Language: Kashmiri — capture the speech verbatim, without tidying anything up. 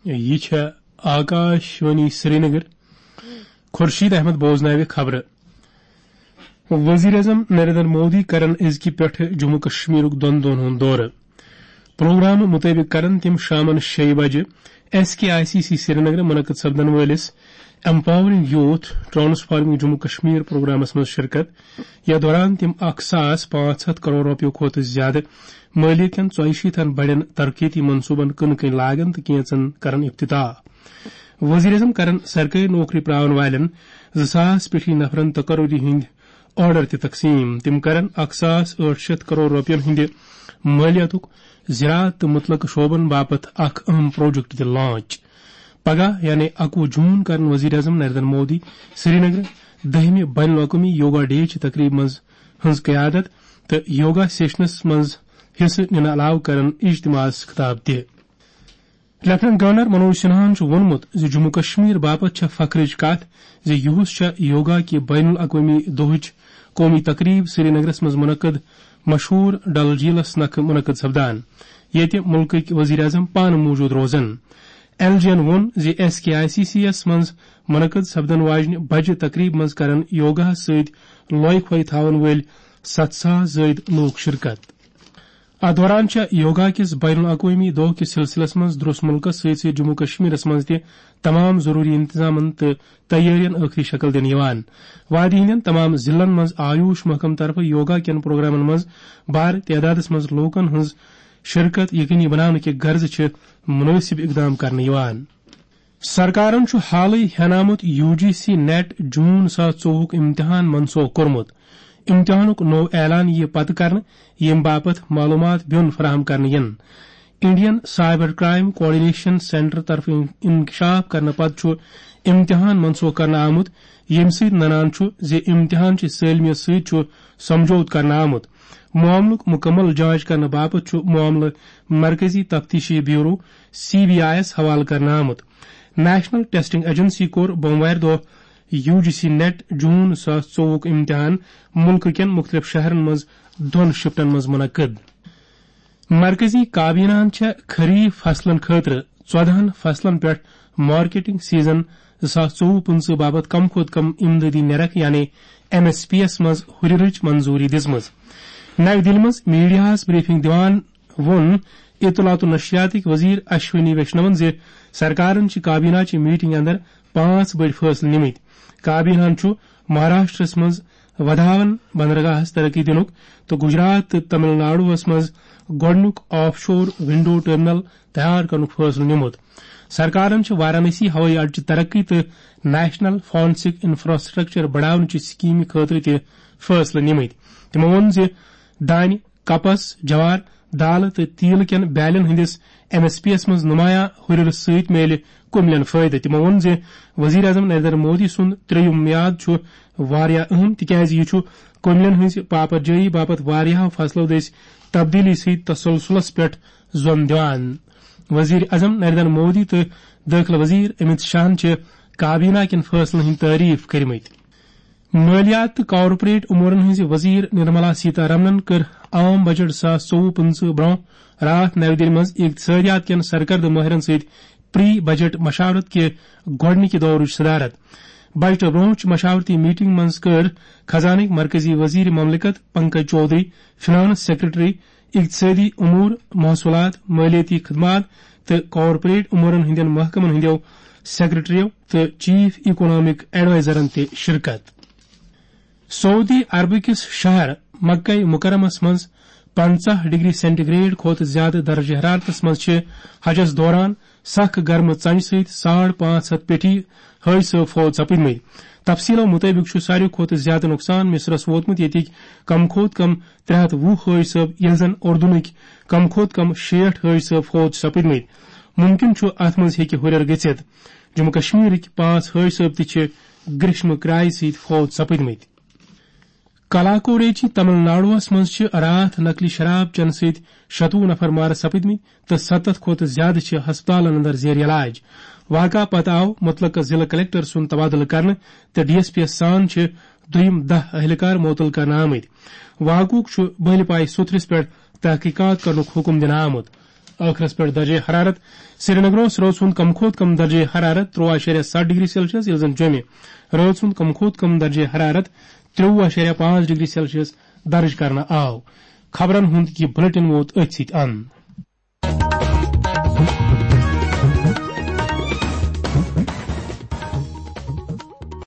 یہِ چھےٚ آکاش وانی سرینگر۔ خورشید احمد بوزناوِ خبرٕ۔ وزیر اعظم نریندر مودی کرن أزکہِ پٮ۪ٹھٕ جموں کشمیرُک دۄن دۄہن ہُنٛد دورٕ۔ پروگرام مُطٲبِق کرن تِم شامن شیٚیہِ بجہِ S K I C C سرینگرٕ منعقد سپدن وٲلِس empowering youth transforming Jammu Kashmir پروگرامس منٛز شرکت۔ یتھ دوران تِم اکھ ساس پانٛژھ ہتھ کرور رۄپیو کھۄتہٕ زیادٕ مٲلیت کٮ۪ن ژۄیہِ شیٖتن بڑٮ۪ن ترقیتی منصوبن کٕنہٕ کٕنۍ لاگن تہٕ کینژن کرن افتتاح۔ وزیر اعظم کرن سرکٲرۍ نوکری پراون والٮ۪ن زٕ ساس پیٹھی نفرن تقرری ہٕنٛدۍ آرڈر تہِ تقسیم۔ تِم کرن اکھ ساس ٲٹھ شیتھ کرور رۄپین ہٕنٛدِ مٲلیاتُک زراعت تہٕ متعلقہٕ شعبن باپتھ اکھ اہم پروجیکٹ تہِ لانچ۔ پگاہ یعنی اکوُہ جون کرن وزیر اعظم نریندر مودی سرینگر دٔہمہِ بین الاقوٲمی یوگا ڈے چہِ تقریبہِ منٛز ہٕنٛز قیادت تہٕ یوگا سیشنس منٛز حصہٕ نِنہٕ علاوٕ کرن اجتماعس خطاب تہِ۔ لیفٹیننٹ گورنر منوج سنہاہن چھُ ووٚنمُت زِ جموں کشمیر باپتھ چھےٚ فخرٕچ کتھ زِ یُہُس چھےٚ یوگا کہِ بین الاقوٲمی دۄہٕچ قومی تقریب سرینگرس منٛز منعقد مشہوٗر ڈل جھیلس نکھٕ منعقد سپدان، ییٚتہِ مُلکٕکۍ وزیر اعظم پانہٕ موجود روزن۔ ایل جی ین ووٚن زِ S K I C C یَس منٛز منعقد سپدن واجنہِ بجہِ تقریب منٛز کرن یوگاہس سۭتۍ لۄے کھۄے تھاون وٲلۍ ستھ ساس زٲیِد لوٗکھ شرکت۔ اتھ دوران چھےٚ یوگا کِس بین الاقوٲمی دۄہ کِس سلسلس منٛز درس مُلکس سۭتۍ سۭتۍ جموں کشمیرس منٛز تہِ تمام ضروری انتظامن تہٕ تیٲرین ٲخری شکل دِنہٕ یِوان۔ وادی ہٕنٛدٮ۪ن تمام ضلعن منٛز آیوش محکمہٕ طرفہٕ یوگا کٮ۪ن پروگرامن منٛز بارٕ تعدادس منٛز لوٗکن ہٕنٛز شرکت یقینی بناونہٕ کہِ غرضہٕ چھِ مناسب اقدام کرنہٕ یِوان۔ سرکارن چھُ حالٕے ہینامُت یو جی سی نیٹ جون زٕ ساس ژوٚوُہُک امتحان منسوخ کوٚرمُت۔ امتحانُک نوٚو اعلان یِیہِ پتہٕ کرنہٕ، ییٚمہِ باپتھ معلومات بیوٚن فراہم کرنہٕ یِن۔ Indian cyber crime coordination centre طرفہٕ انکشاف کرنہٕ پتہٕ چھُ امتحان منسوخ کرنہٕ آمُت، ییٚمہِ سۭتۍ ننان چھُ زِ امتحان چہِ سٲلمیت سۭتۍ چھُ سمجھوتہٕ کرنہٕ آمُت۔ معاملُک مُکمل جانچ کرنہٕ باپتھ چھُ معاملہٕ مرکزی تفتیشی بیورو، سی بی آئی یَس حوالہٕ کرنہٕ آمُت۔ نیشنل ٹیسٹنگ ایجنسی کوٚر بوموارِ دۄہ یو جی سی نیٹ جون زٕ ساس ژوٚوُہُک امتحان مُلکہٕ کٮ۪ن مُختٔلِف شہرن منٛز دۄن شفٹن منٛز منعقد۔ مرکزی کابینہَن چھےٚ خریف فصلن خٲطرٕ ژۄدہَن فصلن پٮ۪ٹھ مارکیٹنگ سیزن زٕ ساس ژوٚوُہ پٕنٛژٕہ باپتھ کم کھۄتہٕ کم امدادی نرخ یعنی ایم ایس پی یَس منٛز ہُرٮ۪رٕچ منظوٗری دِژمٕژ۔ نَوِ دِلہِ منٛز میڈیاہَس بریفنگ دِوان ووٚن اطلاعات و نشریاتٕکۍ وزیر اشونی ویشنون زِ سرکارن چھِ کابینہ چہِ میٹنگ اندر پانٛژھ بٔڑۍ فٲصلہٕ نِمٕتۍ۔ کابینہَن چھُ مہاراشٹرس منٛز ودھاون بندرگاہس ترقی دِنُک تہٕ گجرات تہٕ تمل ناڈوہس منٛز گۄڈٕنیُک آف شور ونڈو ٹرمینل تیار کرنُک فٲصلہٕ نِمُت۔ سرکارن چھِ وارانسی ہوٲیی اڈٕ چہِ ترقی تہٕ نیشنل فارنسک انفراسٹرکچر بڑاونہٕ چہِ سکیمہِ خٲطرٕ تہِ فٲصلہٕ نِمٕتۍ۔ تِمو ووٚن زِ دانہِ، کپس، جوار، دالہٕ تہٕ تیٖل کٮ۪ن بیلن ہٕنٛدِس ایم ایس پی یَس منٛز نمایاں ہُرٮ۪ر سۭتۍ میلہِ کُملٮ۪ن فٲیدٕ۔ تِمو ووٚن زِ وزیر اعظم نریندر مودی سُنٛد ترٛیٚیِم میعاد چھُ واریاہ اہم، تِکیازِ یہِ چھُ کُملٮ۪ن ہٕنٛزِ پاپر جٲیی باپتھ واریاہو فصلو دٔسۍ تبدیلی سۭتۍ تسلسلس پٮ۪ٹھ زۄن دِوان۔ وزیر اعظم نریندر مودی تہٕ دٲخلہٕ وزیر امت شاہن چھِ کابینہ کٮ۪ن فٲصلن ہٕنٛدۍ تعریف کٔرمٕتۍ۔ مٲلیات تہٕ کارپوریٹ امورن ہٕنٛزِ وزیر نرملا سیتارمنن کٔر عام بجٹ زٕ ساس ژوٚوُہ پٕنٛژٕہ برٛونٛہہ راتھ نَوِ دِلہِ منٛز اقتصادیات کٮ۪ن سرکردٕ مٲہرن سۭتۍ پری بجٹ مشاورت کہِ گۄڈٕنِکہِ دورٕچ صدارت۔ بجٹہٕ برٛونٛہہ چھِ مشاورتی میٹنگ منٛز کٔر خزانٕکۍ مرکزی وزیر مملکت پنکج چودھری، فنانس سیکرٹری، اقتصادی امور، محصولات، مالیاتی خدمات تہٕ کارپوریٹ امورن ہٕنٛدٮ۪ن محکمن ہٕنٛدٮ۪و سیکرٹریو تہٕ چیف اکنامک ایڈوائزرن تہِ شرکت۔ سعودی عربہٕ کِس شہر مکہ مکرمس منٛز پنٛژاہ ڈگری سینٹی گریڈ کھۄتہٕ زیادٕ درجہ حرارتس منٛز چھِ حجس دوران سخ گرمہٕ ژنجہِ سۭتۍ ساڑ پانٛژھ ہتھ پیٹھی حٲج صٲب فوت سپٕدمٕتۍ۔ تفصیلو مُطٲبِق چھُ ساروی کھۄتہٕ زیادٕ نۄقصان مصرس ووتمُت، ییٚتِکۍ کم کھۄتہٕ کم ترٛےٚ ہتھ وُہ حٲج صٲب، ییٚلہِ زن اردنٕکۍ کم کھۄتہٕ کم شیٹھ حٲج صٲب فوت چھِ سپٕدمٕتۍ۔ مُمکِن چھُ اتھ منٛز ہیٚکہِ ہُرٮ۪ر گٔژھِتھ۔ جموں کشمیرٕکۍ پانٛژھ حٲج صٲب تہِ چھِ گریشمہٕ کرایہِ سۭتۍ فوت سپٕدمٕتۍ۔ کلاکوریچی تمل ناڈوہس منٛز چھِ راتھ نقلی شراب چنہٕ سۭتۍ شتوُہ نفر مارٕ سپٕدمٕتۍ تہٕ ستتھ کھۄتہٕ زیادٕ چھِ ہسپتالن اندر زیر علاج۔ واقعہ پتہٕ آو متعلقہٕ ضلعہٕ کلکٹر سُنٛد تبادلہٕ کرنہٕ تہٕ ڈی ایس پی یَس سان چھِ دوٚیِم دَہ اہلکار معطل کرنہٕ آمٕتۍ۔ واقعُک چھُ بٔلۍ پایہِ سوٚتھرِس پٮ۪ٹھ تحقیقات کرنُک حکم دِنہٕ آمُت۔ ٲخرس پٮ۪ٹھ درجہ حرارت۔ سرینگر اوس رٲژ ہُنٛد کم کھۄتہٕ کم درجہ حرارت تُرٛواہ اَشاریہ ستھ ڈگری سیلسیس، ییٚلہِ زن جوٚمہِ رٲژ ہُنٛد کم کھۄتہٕ کم درجہ حرارت ترٛوٚوُہ اَشاریہ پانٛژھ ڈگری سیلسیس درج کرنہٕ آو۔ خبرن ہُنٛد یہِ بلیٹن ووت أتھۍ سۭتۍ اند۔